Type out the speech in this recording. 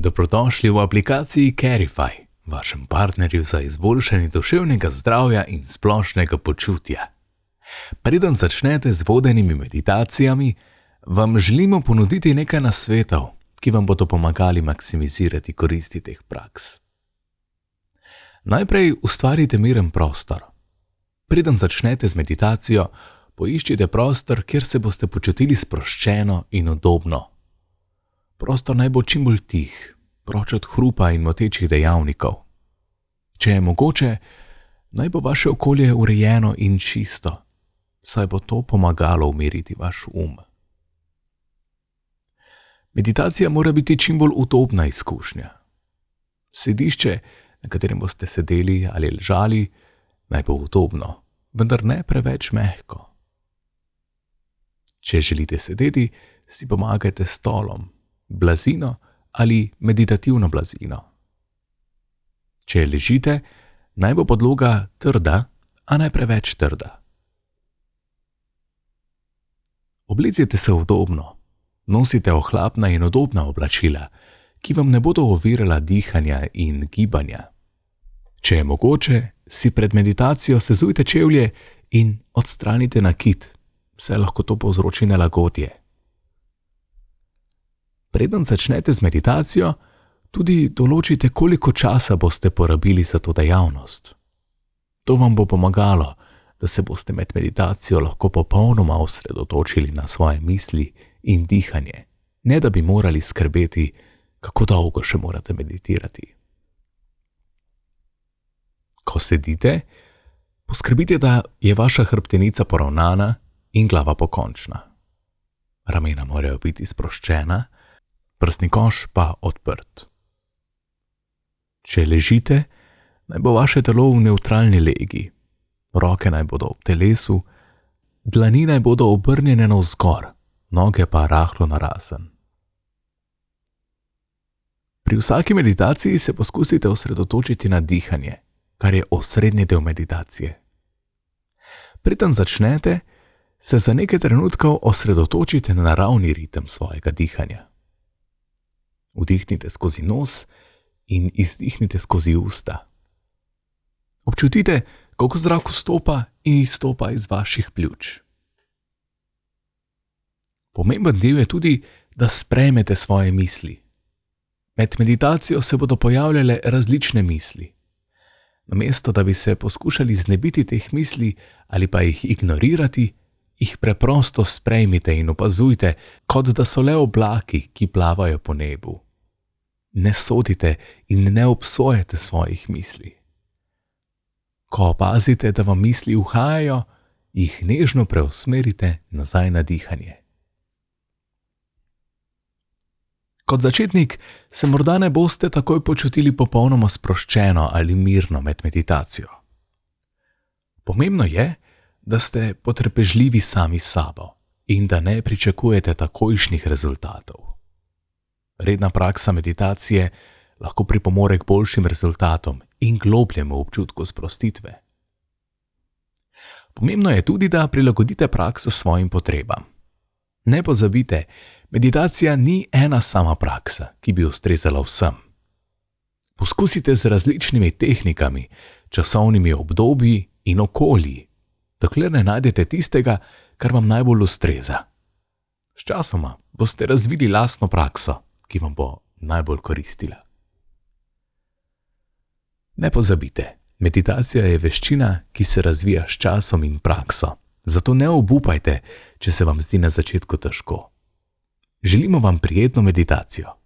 Dobrodošli v aplikaciji Carify, vašem partnerju za izboljšanje duševnega zdravja in splošnega počutja. Preden začnete z vodenimi meditacijami, vam želimo ponuditi nekaj nasvetov, ki vam bodo pomagali maksimizirati koristi teh praks. Najprej ustvarite miren prostor. Preden začnete z meditacijo, poiščite prostor, kjer se boste počutili sproščeno in udobno. Prostor naj bo čim bolj tih, proč od hrupa in motečih dejavnikov. Če je mogoče, naj bo vaše okolje urejeno in čisto, saj bo to pomagalo umiriti vaš um. Meditacija mora biti čim bolj udobna izkušnja. Sedišče, na katerem boste sedeli ali ležali, naj bo udobno, vendar ne preveč mehko. Če želite sedeti, si pomagajte s stolom, blazino ali meditativno blazino. Če ležite, naj bo podloga trda, a ne preveč trda. Oblecite se udobno, nosite ohlapna in udobna oblačila, ki vam ne bodo ovirala dihanja in gibanja. Če je mogoče, si pred meditacijo sezujte čevlje in odstranite nakit, saj lahko to povzroči nelagodje. Preden začnete z meditacijo, tudi določite, koliko časa boste porabili za to dejavnost. To vam bo pomagalo, da se boste med meditacijo lahko popolnoma osredotočili na svoje misli in dihanje, ne da bi morali skrbeti, kako dolgo še morate meditirati. Ko sedite, poskrbite, da je vaša hrbtenica poravnana in glava pokončna. Ramena morajo biti sproščena, prsni koš pa odprt. Če ležite, naj bo vaše telo v nevtralni legi, roke naj bodo ob telesu, dlani naj bodo obrnjene navzgor, noge pa rahlo narazen. Pri vsaki meditaciji se poskusite osredotočiti na dihanje, kar je osrednji del meditacije. Preden začnete, se za nekaj trenutkov osredotočite na naravni ritem svojega dihanja. Vdihnite skozi nos in izdihnite skozi usta. Občutite, kako zrak vstopa in izstopa iz vaših pljuč. Pomemben del je tudi, da sprejmete svoje misli. Med meditacijo se bodo pojavljale različne misli. Namesto da bi se poskušali znebiti teh misli ali pa jih ignorirati, jih preprosto sprejmite in opazujte, kot da so le oblaki, ki plavajo po nebu. Ne sodite in ne obsojate svojih misli. Ko opazite, da vam misli uhajajo, jih nežno preusmerite nazaj na dihanje. Kot začetnik se morda ne boste takoj počutili popolnoma sproščeno ali mirno med meditacijo. Pomembno je, da ste potrpežljivi sami s sabo in da ne pričakujete takojšnjih rezultatov. Redna praksa meditacije lahko pripomore k boljšim rezultatom in globljemu občutku sprostitve. Pomembno je tudi, da prilagodite prakso svojim potrebam. Ne pozabite, meditacija ni ena sama praksa, ki bi ustrezala vsem. Poskusite z različnimi tehnikami, časovnimi obdobji in okolji, dokler ne najdete tistega, kar vam najbolj ustreza. Sčasoma boste razvili lastno prakso, ki vam bo najbolj koristila. Ne pozabite, meditacija je veščina, ki se razvija s časom in prakso, zato ne obupajte, če se vam zdi na začetku težko. Želimo vam prijetno meditacijo.